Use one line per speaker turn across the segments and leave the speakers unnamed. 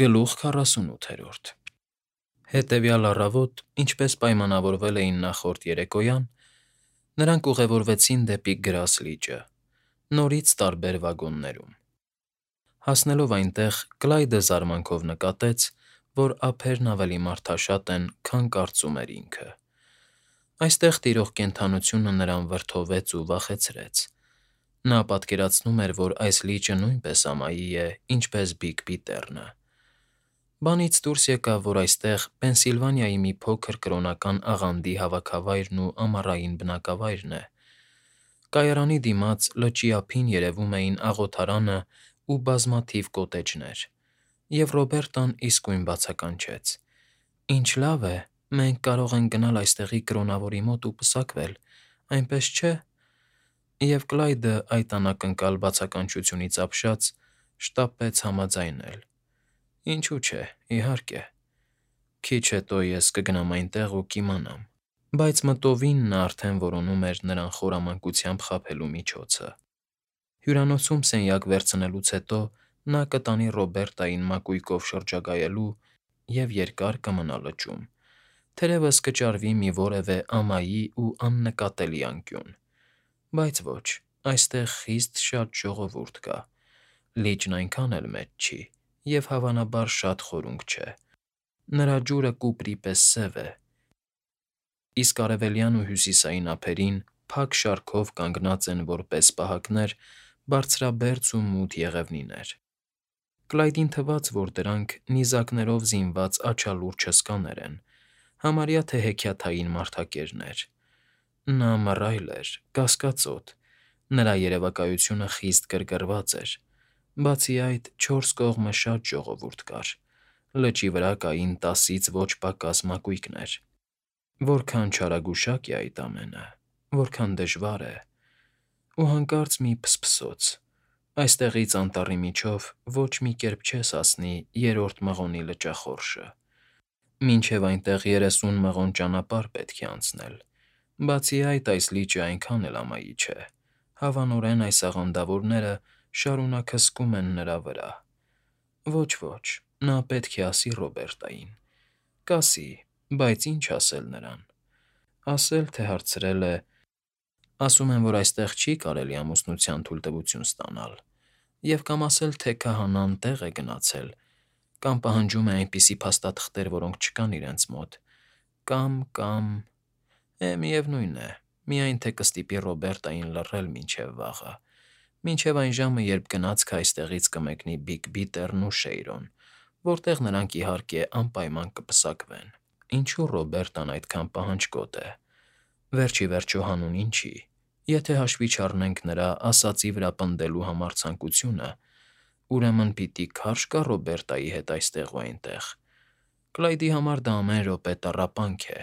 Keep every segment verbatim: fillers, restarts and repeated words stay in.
Գլուխ քառասունութերորդ Հետևյալ առավոտ, ինչպես պայմանավորվել էին նախորդ երեկոյան, նրանք ուղևորվեցին դեպի Գրաս լիճը, նորից տարբեր վագոններում։ Հասնելով այնտեղ՝ Կլայդը զարմանքով նկատեց, որ ափերն ավելի մարդաշատ են, քան կարծում էր ինքը։ Այստեղ տիրող կենդանությունը նրան վրդովեց ու վախեցրեց։ Նա պատկերացնում էր, որ այս լիճը նույնպես ամայի է, ինչպես Բիգ Բիթեռնը։ Բանից դուրս եկավ, որ այստեղ Պենսիլվանիայի մի փոքր կրոնական աղանդի հավաքավայրն ու ամառային բնակավայրն է։ Կայարանի դիմաց լճի ափին երևում էին աղոթարանը ու բազմաթիվ կոտեջներ, և Ռոբերտան իսկույն բացականչեց. «Ինչ լավ է, մենք կարող ենք գնալ այստեղի կրոնավորի մոտ ու պսակվել, այնպես չէ՞»։ Եվ Կլայդը, այդ անակնկալ բացականչությունից ապշած, շտապեց համաձայնել. «Ինչու չէ, իհարկե, քիչ հետո ես կգնամ այնտեղ ու կիմանամ»։ Բայց մտովին նա արդեն որոնում էր նրան խորամանկությամբ խաբելու միջոցը։ Հյուրանոցում սենյակ վերցնելուց հետո նա կտանի Ռոբերտային մակույկով շրջագայելու և երկար կմնա լճում, թերևս կճարվի մի որևէ ամայի ու աննկատելի անկյուն։ Բայց ոչ, այստեղ խիստ շատ ժողովուրդ կա, լիճն այնքան էլ մեծ չի և, հավանաբար, շատ խորունկ չէ։ Նրա ջուրը կուպրի պես սև է, իսկ արևելյան ու հյուսիսային ափերին փակ շարքով կանգնած են որպես պահակներ բարձրաբերձ ու մութ եղևնիներ։ Կլայդին թվաց, որ դրանք նիզակներով զինված աչալուրջ հսկաներ են, համարյա թե հեքիաթային մարդակերներ։ Նա մռայլ էր, կասկածոտ, նրա երևակայությունը խիստ գրգռված էր։ Բացի այդ, չորս կողմը շատ ժողովուրդ կար, լճի վրա կային տասից ոչ պակաս մակույկներ։ Որքան չարագուշակ է այդ ամենը, որքան դժվար է… Ու հանկարծ մի փսփսոց… Այստեղից անտառի միջով ոչ մի կերպ չես հասնի Երրորդ մղոնի լճախորշը։ Մինչև այնտեղ երեսուն մղոն ճանապարհ պետք է անցնել։ Բացի այդ, այս լիճը այնքան էլ ամայի չէ։ Հավանորեն այս աղանդավորները շարունակ հսկում են նրա վրա։ Ոչ, ոչ, նա պետք է ասի Ռոբերտային։ Կասի, բայց ինչ ասել նրան։ Ասել, թե հարցրել է… Ասում են, որ այստեղ չի կարելի ամուսնության թույլտվություն ստանալ, և կամ ասել, թե քահանան տեղ է գնացել, կամ պահանջում է այնպիսի փաստաթղթեր, որոնք չկան իրենց մոտ, կամ, կամ… Է, միևնույն է, միայն թե կստիպի Ռոբերտային լռել մինչև վաղը, մինչև այն ժամը, երբ գնացքը այստեղից կմեկնի Բիգ Բիթեռն ու Շեյրոն, որտեղ նրանք, իհարկե, անպայման կպսակվեն։ Ինչու Ռոբերտան այդքան պահանջկոտ է։ Վերջ ի վերջո հանուն ինչի… Եթե հաշվի չառնենք նրա ասածի վրա պնդելու համարձակությունը, ուրեմն պիտի քարշ գա Ռոբերտայի հետ այստեղ ու այնտեղ։ Կլայդի համար դա ամեն րոպե տառապանք է,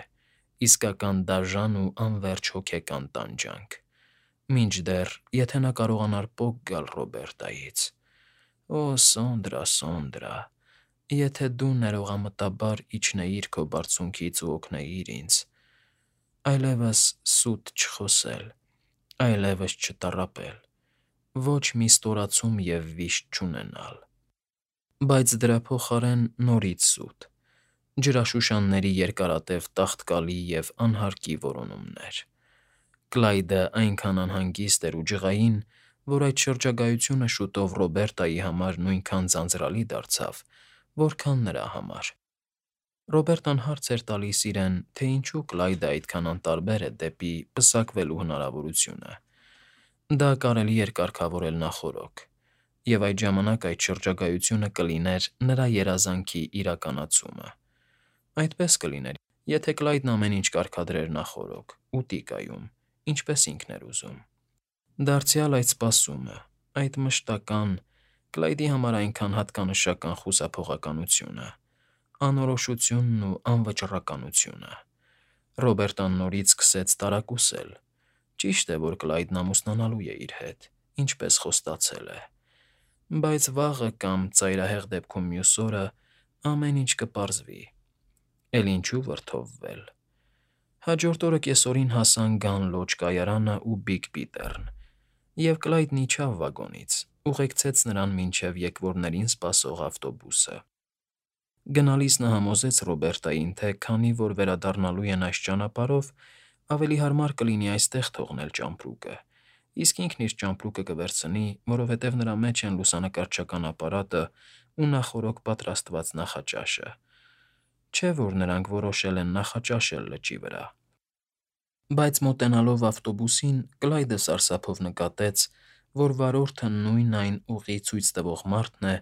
իսկական դաժան ու անվերջ հոգեկան տանջանք։ Մինչդեռ, եթե նա կարողանար պոկ գալ Ռոբերտայից… Օ, Սոնդրա, Սոնդրա… Եթե դու ներողամտաբար իջնեիր քո բարձունքից ու օգնեիր ինձ… Այլևս սուտ չխոսել, այլևս չտառապել, ոչ մի ստորացում և վիշտ չունենալ… Բայց դրա փոխարեն նորից սուտ, ջրաշուշանների երկարատև տաղտկալի և անհարկի որոնումներ։ Կլայդը այնքան անհանգիստ էր ու ջղային, որ այդ շրջագայությունը շուտով Ռոբերտայի համար նույնքան ձանձրալի դարձավ, որքան նրա համար։ Ռոբերտան հարց էր տալիս իրեն, թե ինչու Կլայդը այդքան անտարբեր է դեպի պսակվելու հնարավորությունը։ Դա կարելի էր կարգավորել նախօրոք, և այդ ժամանակ այդ շրջագայությունը կլիներ նրա երազանքի իրականացումը։ Այդպես կլիներ, եթե Կլայդն ամեն ինչ կարգադրեր նախօրոք, ուտիկայում, ինչպես ինքն էր ուզում։ Դարձյալ այդ սպասումը, այդ մշտական, Կլայդի համար այնքան հատկանշական խուսափողականությունը, անորոշությունն ու անվճռականությունը… Ռոբերտան նորից սկսեց տարակուսել։ Ճիշտ է, որ Կլայդն ամուսնանալու է իր հետ, ինչպես խոստացել է։ Բայց վաղը կամ, ծայրահեղ դեպքում, մյուս օրը ամեն ինչ կպարզվի։ Էլ ինչու վրդովվել… Հաջորդ օրը կեսօրին հասան Գան Լոջ կայարանը ու Բիգ Բիթեռն, և Կլայդն իջավ վագոնից, ուղեկցեց նրան մինչև եկվորներին սպասող ավտոբուսը։ Գնալիս նա համոզեց Ռոբերտային, թե քանի որ վերադառնալու են այս ճանապարհով, ավելի հարմար կլինի այստեղ թողնել ճամպրուկը, իսկ ինքն իր ճամպրուկը կվերցնի, որովհետև նրա մեջ են լուսանկարչական ապարատը ու նախօրոք պատրաստված նախաճաշը, չէ՞ որ նրանք որոշել են նախաճաշել լճի վրա։ Բայց մոտենալով ավտոբուսին՝ Կլայդը սարսափով նկատեց, որ վարորդը նույն այն ուղի ցույց տվող մարդն է,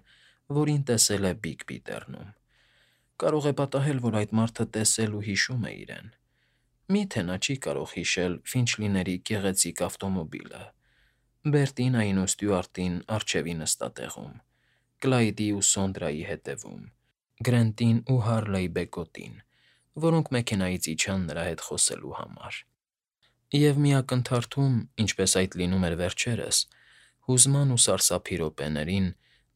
որին տեսել է Բիգ Բիթեռնում։ Կարող է պատահել, որ այդ մարդը տեսել ու հիշում է իրեն։ Մի՞թե նա չի կարող հիշել Ֆինչլիների գեղեցիկ ավտոմոբիլը, Բերտինային ու Ստյուարտին առջևի նստատեղում, Կլայդի ու Սոնդրայի հետևում, Գրենտին ու Հարլեյ Բեկոտին, որոնք մեքենայից իջան նրա հետ խոսելու համար։ Եվ մի ակնթարթում, ինչպես այդ լինում էր վերջերս, հուզման ու սարսափի րոպեներին,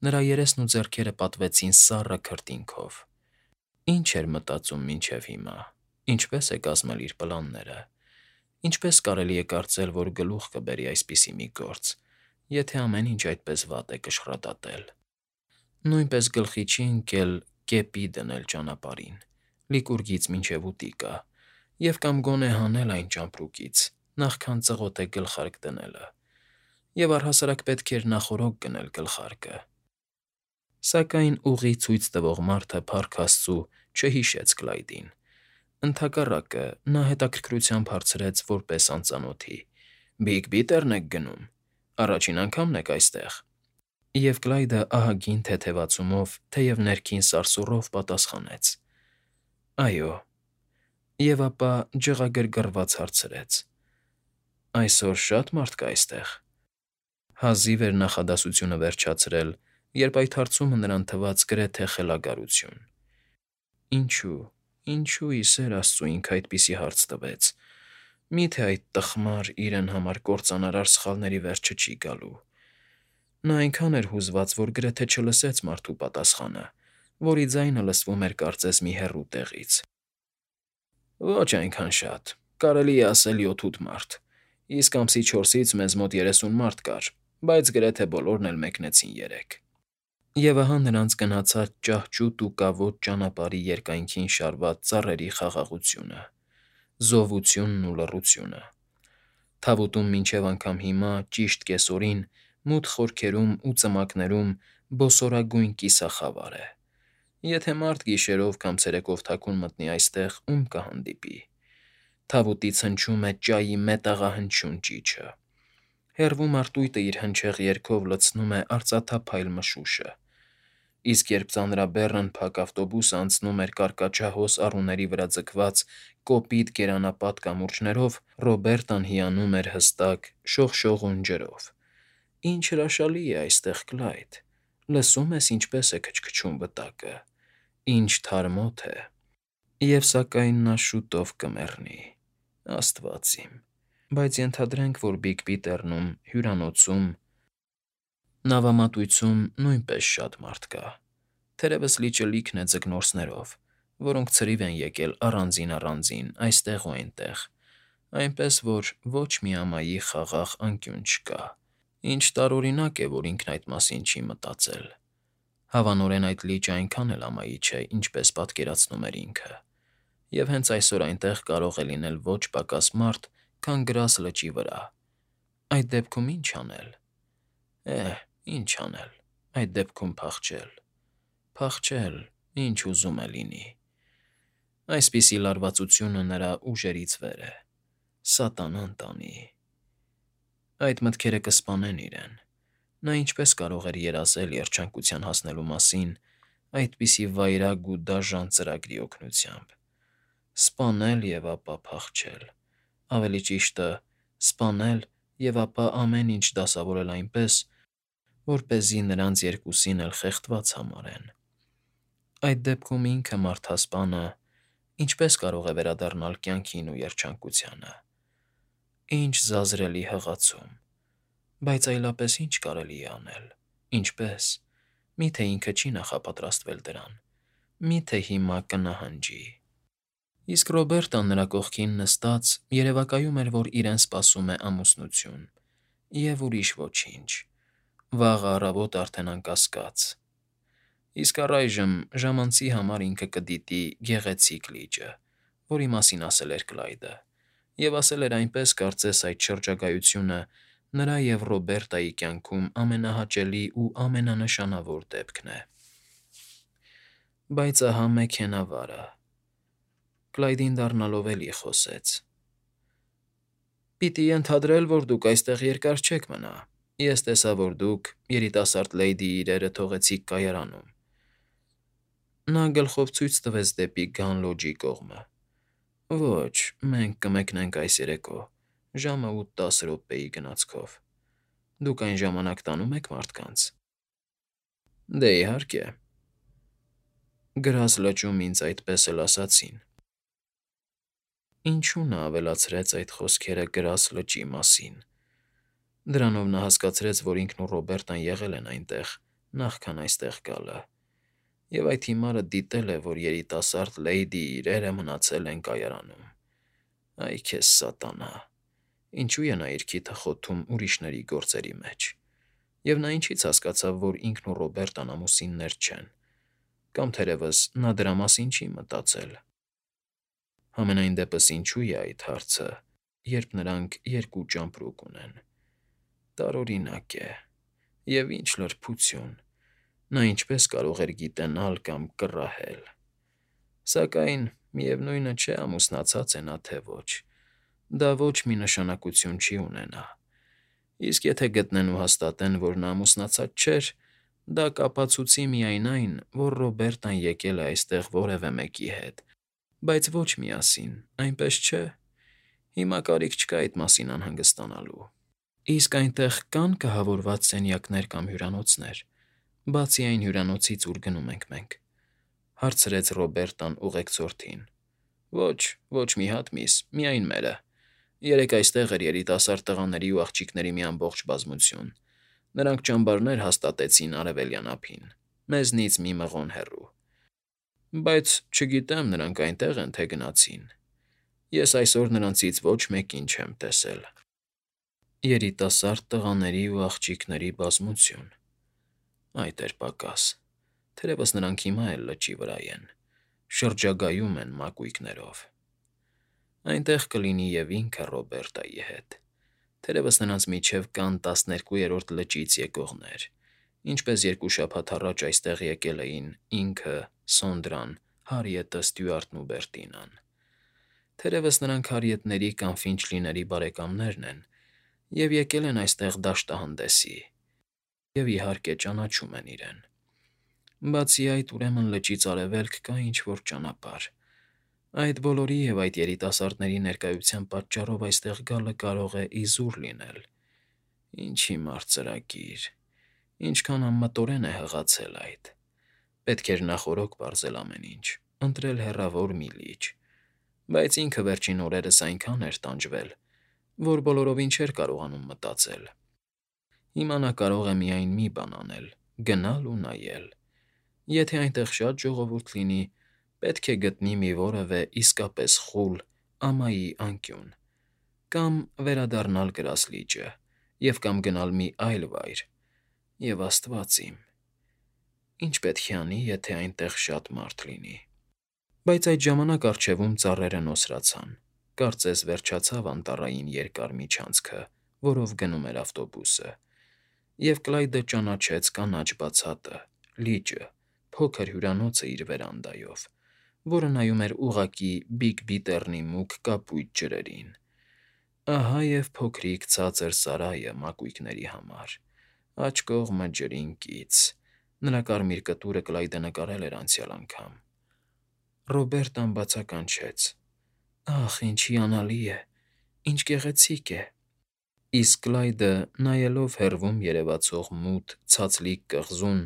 նրա երեսն ու ձեռքերը պատվեցին սառը քրտինքով։ Ինչ էր մտածում մինչև հիմա, ինչպե՞ս է կազմել իր պլանները, ինչպե՞ս կարելի է կարծել, որ գլուխ կբերի այսպիսի մի գործ, եթե ամեն ինչ այդպես վատ է կշռադատել։ Նույնպես գլխի չի ընկել կեպի դնել ճանապարհին, Լիկուրգից մինչև Ուտիկա, և կամ գոնե հանել այն ճամպրուկից, նախքան ծղոթե գլխարկ դնելը, և առհասարակ պետք էր նախօրոք գնել գլխարկը։ Սակայն ուղի ցույց տվող մարդը, փառք աստծու, չհիշեց Կլայդին։ Ընդհակառակը, նա հետաքրքրությամբ հարցրեց որպես անծանոթի. «Բիգ Բիթեռն եք գնում, առաջին անգամն եք այստեղ»։ Եվ Կլայդը ահագին թեթևացումով, թեև ներքին սարսուռով պատասխանեց. «Այո»։ Եվ ապա ջղագրգռված հարցրեց. «Այսօր շա՞տ մարդ կա այստեղ»։ Հազիվ էր նախադասությունը վերջացրել, երբ այդ հարցումը նրան թվաց գրեթե խելագարություն։ Ինչո՞ւ, ինչո՞ւ, ի սեր աստծու, ինքը այդպիսի հարց տվեց։ Մի՞թե այդ տխմար, իրեն համար կործանարար սխալների վերջը չի գալու։ Նա այնքան էր հուզված, որ գրեթե չլսեց մարդու պատասխանը, որի ձայնը լսվում էր կարծես մի հեռու տեղից։ Ոչ այնքան շատ, կարելի է ասել յոթ֊ութ մարդ, իսկ ամսի չորսից մեզ մոտ երեսուն մարդ կար, բայց գրեթե բոլորն էլ մեկնեցին երեկ։ Եվ ահա նրանց գնացած ճահճուտ ու կավոտ ճանապարհի երկայնքին շարված ծառերի խաղաղությունը, զովությունն ու լռությունը։ Թավուտում մինչև անգամ հիմա, ճիշտ կեսօրին, մութ խորքերում ու ծմակներում բոսորագույն կիսախավար է։ Եթե մարդ գիշերով կամ ցերեկով թաքուն մտնի այստեղ, ում կհանդիպի։ Թավուտից հնչում է ճայի մետաղահնչյուն ճիչը։ Հեռվում արտույտը իր հնչեղ երգով լցնում է արծաթափայլ մշուշը, իսկ երբ ծանրաբեռն փակ ավտոբուսը անցնում էր կարկաչահոս առուների վրա ձգված կոպիտ գերանապատ կամուրջներով, Ռոբերտան հիանում էր հստակ, շողշողուն ջրով. «Ինչ հրաշալի է այստեղ, Կլայդ, լսո՞ւմ ես, ինչպես է քչքչում վտակը, ինչ թարմոտ է»։ Եվ սակայն նա շուտով կմեռնի, աստված իմ։ Բայց ենթադրենք, որ Բիգ Բիթեռնում, հյուրանոցում, նավամատույցում նույնպես շատ մարդ կա։ Թերևս լիճը լիքն է ձկնորսներով, որոնք ցրիվ են եկել առանձին֊առանձին այստեղ ու այնտեղ, այնպես որ ոչ մի ամայի խաղաղ անկյուն չկա։ Ինչ տարօրինակ է, որ ինքն այդ մասին չի մտածել։ Հավանորեն այդ լիճը այնքան էլ ամայի չէ, ինչպես պատկերացնում էր ինքը, և հենց այսօր այնտեղ կարող է լինել ոչ պակաս մարդ, քան գրազ լճի վրա։ Այդ դեպքում ի՞նչ անել։ Է՛հ, ի՞նչ անել, այդ դեպքում փախչել։ Փախչել, ինչ ուզում է լինի։ Այսպիսի լարվածությունը նրա ուժերից վեր է։ Սատանան տանի։ Այդ մտքերը կսպանեն իրեն։ Նա ինչպես կարող էր երազել երջանկության հասնելու մասին այդպիսի վայրագ ու դաժան ծրագրի օգնությամբ։ Սպանել և ապա փախչել, ավելի ճիշտը, սպանել և ապա ամեն ինչ դասավորել այնպես, որպեսզի նրանց երկուսին էլ խեղդված համարեն։ Այդ դեպքում ինքը՝ մարդասպանը, ինչպե՞ս կարող է վերադառնալ կյանքին ու երջանկությանը։ Ինչ զազրելի հղացում։ Բայց այլապես ի՞նչ կարելի է անել, ինչպե՞ս։ Մի՞թե ինքը չի նախապատրաստվել դրան։ Մի՞թե հիմա կնահանջի։ Իսկ Ռոբերտան նրա կողքին նստած երևակայում էր, որ իրեն սպասում է ամուսնություն, և ուրիշ ոչինչ։ Վաղը առավոտ արդեն անկասկած։ Իսկ առայժմ ժամանցի համար ինքը կդիտի գեղեցիկ լիճը, որի մասին ասել էր Կլայդը, և ասել էր այնպես, կարծես այդ շրջագայությունը նրա և Ռոբերտայի կյանքում ամենահաճելի ու ամենանշանավոր դեպքն է։ Բայց ահա մեքենավարը… Կլայդին դառնալով էլի խոսեց. «Պիտի ենթադրել, որ դուք այստեղ երկար չեք մնա. ես տեսա, որ դուք, երիտասարդ լեյդիի իրերը թողեցիք կայարանում»։ Նա գլխով ցույց տվեց դեպի Գանլոջի կողմը։ «Ոչ, մենք կմեկնենք այս երեկո, ժամը ութ֊տասը րոպեի գնացքով։ Դուք այն ժամանակ տանո՞ւմ եք մարդկանց»։ «Դե, իհարկե»։ «Գրազ լճում ինձ այդպես էլ ասացին»։ Ինչու նա ավելացրեց այդ խոսքերը Գրազ լճի մասին։ Դրանով նա հասկացրեց, որ ինքն ու Ռոբերտան եղել են այնտեղ նախքան այստեղ գալը, և այդ հիմարը դիտել է, որ երիտասարդ լեյդիի իրերը մնացել են կայարանում։ Այ քեզ սատանա… Ինչու է նա իր քիթը խոթում ուրիշների գործերի մեջ։ Եվ նա ինչի՞ց հասկացավ, որ ինքն ու Ռոբերտան ամուսիններ չեն, կամ թերևս նա դրա մասին չի մտածել։ Համենայն դեպս ինչո՞ւ է այդ հարցը, երբ նրանք երկու ճամպրուկ ունեն։ Տարօրինակ է… Եվ ինչ լրբություն… Նա ինչպե՞ս կարող էր գիտենալ կամ կռահել… Սակայն, միևնույն է, չէ ամուսնացած է նա, թե ոչ, դա ոչ մի նշանակություն չի ունենա։ Իսկ եթե գտնեն ու հաստատեն, որ նա ամուսնացած չէր, դա կապացուցի միայն այն, որ Ռոբերտան եկել է այստեղ որևէ մեկի հետ, բայց ոչ միասին, այնպես չէ։ Հիմա կարիք չկա այդ մասին անհանգստանալու։ Իսկ այնտեղ կա՞ն կահավորված սենյակներ կամ հյուրանոցներ, բացի այն հյուրանոցից, ուր գնում ենք մենք,֊ հարցրեց Ռոբերտան ուղեկցորդին։ «Ոչ, ոչ մի հատ, միս, միայն մերը։ Երեկ այստեղ էր երիտասարդ տղաների ու աղջիկների մի ամբողջ բազմություն։ Նրանք ճամբարներ հաստատեցին Արևելյան ափին, մեզնից մի մղոն հեռու։ Բայց, չգիտեմ, նրանք այնտե՞ղ են, թե գնացին։ Ես այսօր նրանցից ոչ մեկին չեմ տեսել»։ Երիտասարդ տղաների ու աղջիկների բազմություն… Այդ էր պակաս… Թերևս նրանք հիմա էլ լճի վրա են, շրջագայում են մակույկներով։ Այնտեղ կլինի և ինքը Ռոբերտայի հետ։ Թերևս նրանց միջև կան տասներկուերորդ լճից եկողներ, ինչպես երկու շաբաթ առաջ այստեղ եկել էին ինքը, Սոնդրան, Հարիետը, Ստյուարտն ու Բերտինան։ Թերևս նրանք Հարիետների կամ Ֆինչլիների բարեկամներն են և եկել են այստեղ դաշտահանդեսի, և, իհարկե, ճանաչում են իրեն։ Բացի այդ, ուրեմն լճից արևելք կա ինչ֊որ ճանապարհ։ Այդ բոլորի և այդ երիտասարդների ներկայության պատճառով այստեղ գալը կարող է իզուր լինել։ Ինչ հիմար ծրագիր… Ինչքան անմտորեն է հղացել այդ… Պետք էր նախօրոք պարզել ամեն ինչ, ընտրել հեռավոր մի լիճ։ Բայց ինքը վերջին օրերս այնքան էր տանջվել, որ բոլորովին չէր կարողանում մտածել։ Հիմա նա կարող է միայն մի բան անել՝ գնալ ու նայել։ Եթե այնտեղ շատ ժողովուրդ լինի, պետք է գտնի մի որևէ իսկապես խուլ, ամայի անկյուն, կամ վերադառնալ Գրազ լիճը և կամ գնալ մի այլ վայր, և, աստված իմ… Ինչ պետք է անի, եթե այնտեղ շատ մարդ լինի։ Բայց այդ ժամանակ առջևում ծառերը նոսրացան, կարծես վերջացավ անտառային երկար միջանցքը, որով գնում էր ավտոբուսը, և Կլայդը ճանաչեց կանաչ բացատը, լիճը, փոքր հյուրանոցը իր վերանդայով, որը նայում էր ուղղակի Բիգ Բիթեռնի մուգ կապույտ ջրերին։ Ահա և փոքրիկ ցածր սարայը մակույկների համար, աջ կողմը ջրին կից… Նրա կարմիր կտուրը Կլայդը նկարել էր անցյալ անգամ։ Ռոբերտան բացականչեց. «Ախ, ինչ հիանալի է… Ինչ գեղեցիկ է»։ Իսկ Կլայդը, նայելով հեռվում երևացող մութ, ցածլիկ կղզուն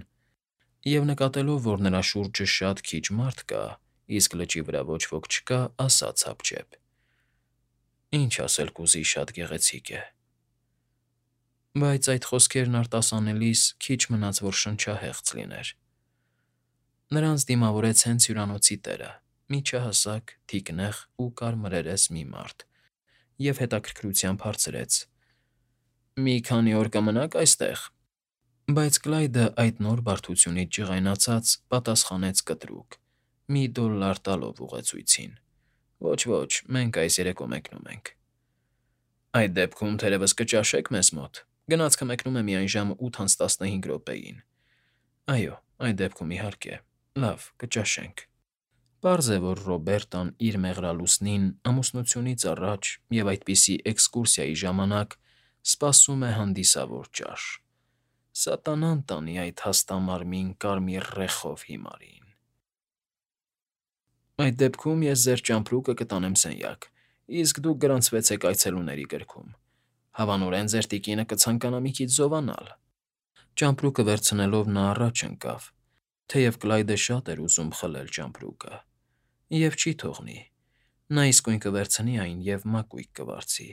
և նկատելով, որ նրա շուրջը շատ քիչ մարդ կա, իսկ լճի վրա ոչ ոք չկա, ասաց հապճեպ. «Ինչ ասել կուզի, շատ գեղեցիկ է»։ Բայց այդ խոսքերն արտասանելիս քիչ մնաց, որ շնչահեղձ լիներ։ Նրանց դիմավորեց հենց հյուրանոցի տերը՝ միջահասակ, թիկնեղ ու կարմրերես մի մարդ, և հետաքրքրությամբ հարցրեց. «Մի քանի օր կմնա՞ք այստեղ»։ Բայց Կլայդը այդ նոր բարդությունից ջղայնացած պատասխանեց կտրուկ, մի դոլլար տալով ուղեցույցին. Ոչ, ոչ, մենք այս երեկո մեկնում ենք։ Այդ դեպքում թերևս կճաշեք մեզ մոտ։ Գնացքը մեկնում է միայն ժամը ութ անց տասնհինգ րոպեին։ Այո, այդ դեպքում իհարկե։ Լավ, կճաշենք։ Պարզ է, որ Ռոբերտան իր մեղրալուսնին ամուսնությունից առաջ և այդպիսի էքսկուրսիայի ժամանակ սպասում է հանդիսավոր ճաշ։ Սատանան տանի այդ հաստամարմին կարմիր ռեխով հիմարին։ Այդ դեպքում ես ձեր ճամպրուկը կտանեմ սենյակ, իսկ դուք գրանցվեցեք այցելուների գրքում։ Հավանորեն ձեր տիկինը կցանկանա մի քիչ զովանալ։ Ճամպրուկը վերցնելով նա առաջ ընկավ, թեև Կլայդը շատ էր ուզում խլել ճամպրուկը։ Եվ չի թողնի։ Նա իսկույն կվերցնի այն և մակույկ կվարձի։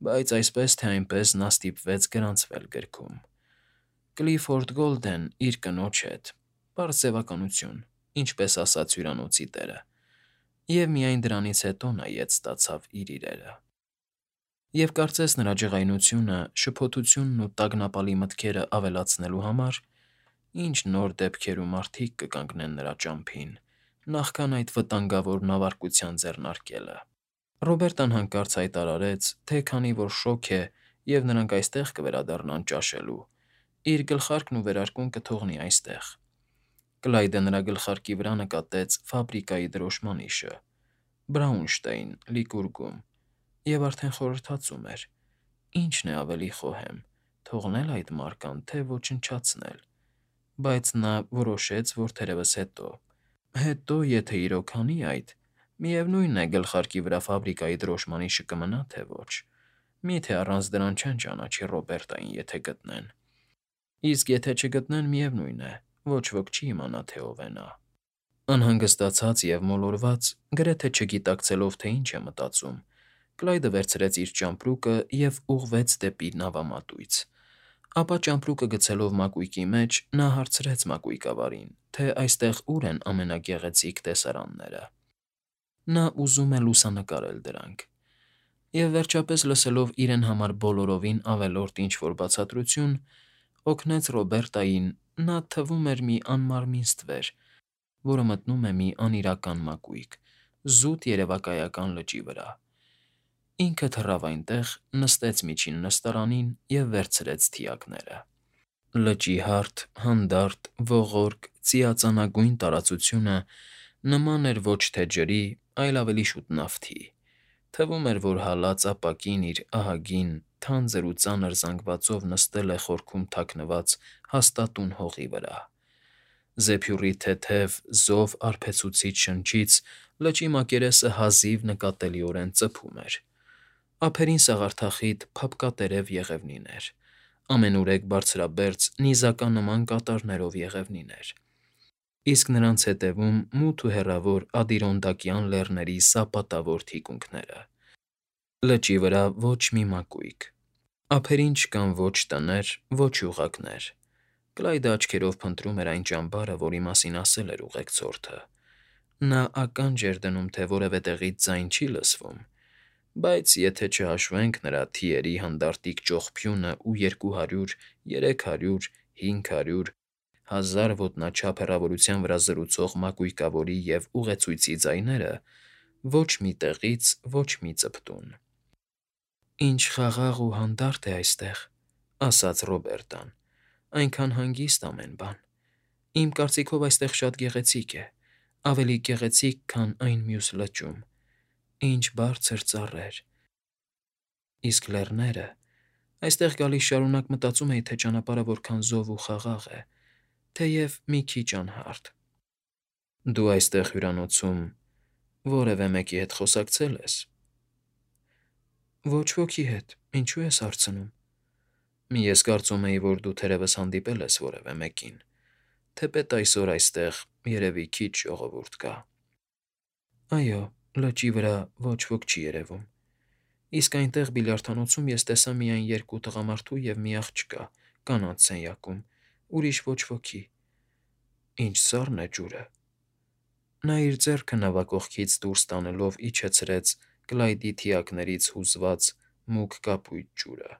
Բայց այսպես թե այնպես նա ստիպվեց գրանցվել գրքում. Կլիֆորդ Գոլդեն իր կնոջ հետ, պարզ ձևականություն, ինչպես ասաց հյուրանոցի տերը, և միայն դրանից հետո նայեց ստացավ իր իրերը։ Եվ կարծես նրա ջղայնությունը, շփոթությունն ու տագնապալի մտքերը ավելացնելու համար, ինչ նոր դեպքեր ու մարդիկ կկանգնեն նրա ճամփին, նախքան այդ վտանգավոր նավարկության ձեռնարկելը։ Ռոբերտան հանկարծ հայտարարեց, թե քանի որ շոգ է և նրանք այստեղ կվերադառնան ճաշելու, իր գլխարկն ու վերարկուն կթողնի այստեղ։ Կլայդը նրա գլխարկի վրա նկատեց ֆաբրիկայի դրոշմանիշը՝ Բրաունշտեյն, Լիկուրգում, և արդեն խորհրդածում էր. ինչն է ավելի խոհեմ՝ թողնել այդ մարկան, թե ոչնչացնել, բայց նա որոշեց, որ թերևս հետո։ Հետո, եթե իրոք անի այդ, միևնույն է գլխարկի վրա ֆաբրիկայի դրոշմանիշը կմնա, թե ոչ։ Միթե առանց դրան չեն ճանաչի Ռոբերտային, եթե գտնեն։ Իսկ եթե չգտնեն, միևնույն է, ոչ ոք չի իմանա, թե ով է նա։ Անհանգստացած և մոլորված, գրեթե չգիտակցելով, թե ինչ է մտածում, Կլայդը վերցրեց իր ճամպրուկը և ուղղվեց դեպի նավամատույց։ Ապա ճամպրուկը գցելով մակույկի մեջ՝ նա հարցրեց մակույկավարին, թե այստեղ ուր են ամենագեղեցիկ տեսարանները։ Նա ուզում է լուսանկարել դրանք։ Եվ վերջապես, լսելով իրեն համար բոլորովին ավելորդ ինչ֊որ բացատրություն, օգնեց Ռոբերտային, նա թվում էր մի անմարմին ստվեր, որը մտնում է մի անիրական մակույկ, զուտ երևակայական լճի վրա։ Ինքը թռավ այնտեղ, նստեց միջին նստարանին և վերցրեց թիակները։ Լճի հարթ, հանդարտ, ողորկ, ծիածանագույն տարածությունը նման էր ոչ թե ջրի, այլ ավելի շուտ նավթի։ Թվում էր, որ հալած ապակին իր ահագին, թանձր ու ծանր զանգվածով նստել է խորքում թաքնված հաստատուն հողի վրա։ Զեփյուռի թեթև, զով արբեցուցիչ շնչից լճի մակերեսը հազիվ նկատելիորեն ծփում էր։ Ափերին սաղարթախիտ, փափկատերև եղևնիներ, ամենուրեք բարձրաբերձ, նիզականման կատարներով եղևնիներ, իսկ նրանց ետևում մութ ու հեռավոր Ադիրոնդակյան լեռների սապատավոր թիկունքները։ Լճի վրա ոչ մի մակույկ։ Ափերին չկան ոչ տներ, ոչ յուղակներ։ Կլայդը աչքերով փնտրում էր այն ճամբարը, որի մասին ասել էր ուղեկցորդը։ Նա ականջ էր դնում, թե որևէ տեղից ձայն չի լսվում, բայց եթե չհաշվենք նրա թիերի հանդարտիկ ճողփյունն ու երկու հարյուր, երեք հարյուր, հինգ հարյուր, հազար ոտնաչափ հեռավորության վրա զրուցող մակույկավորի և ուղեցույցի ձայները, ոչ մի տեղից ոչ մի ծպտուն։ «Ինչ խաղաղ ու հանդարտ է այստեղ», ֊ ասաց Ռոբերտան։ «Այնքան հանգիստ ամեն բան։ Իմ կարծիքով այստեղ շատ գեղեցիկ է, ավելի գեղեցիկ, քան այն մյուս լճում։ Ինչ բարձր ծառեր։ Իսկ լեռները… Այստեղ գալիս շարունակ մտածում էի, թե ճանապարհը որքան զով ու խաղաղ է, թեև մի քիչ անհարթ»։ «Դու այստեղ հյուրանոցում որևէ մեկի հետ խոսակցել ես»։ «Ոչ ոքի հետ, ինչու ես հարցնում»։ «Ես կարծում էի, որ դու թերևս հանդիպել ես որևէ մեկին, թեպետ այսօր այստեղ, երևի, քիչ ժողովուրդ կա»։ «Այո, լճի վրա ոչ ոք չի երևում, իսկ այնտեղ բիլիարդանոցում ես տեսա միայն երկու տղամարդու և մի աղջկա կանանց սենյակում, ուրիշ ոչ ոքի։ Ինչ սառն է ջուրը»։ Նա իր ձեռքը նավակողքից դուրս տանելով իջեցրեց Կլայդի թիակներից հուզված մուգ կապույտ ջուրը։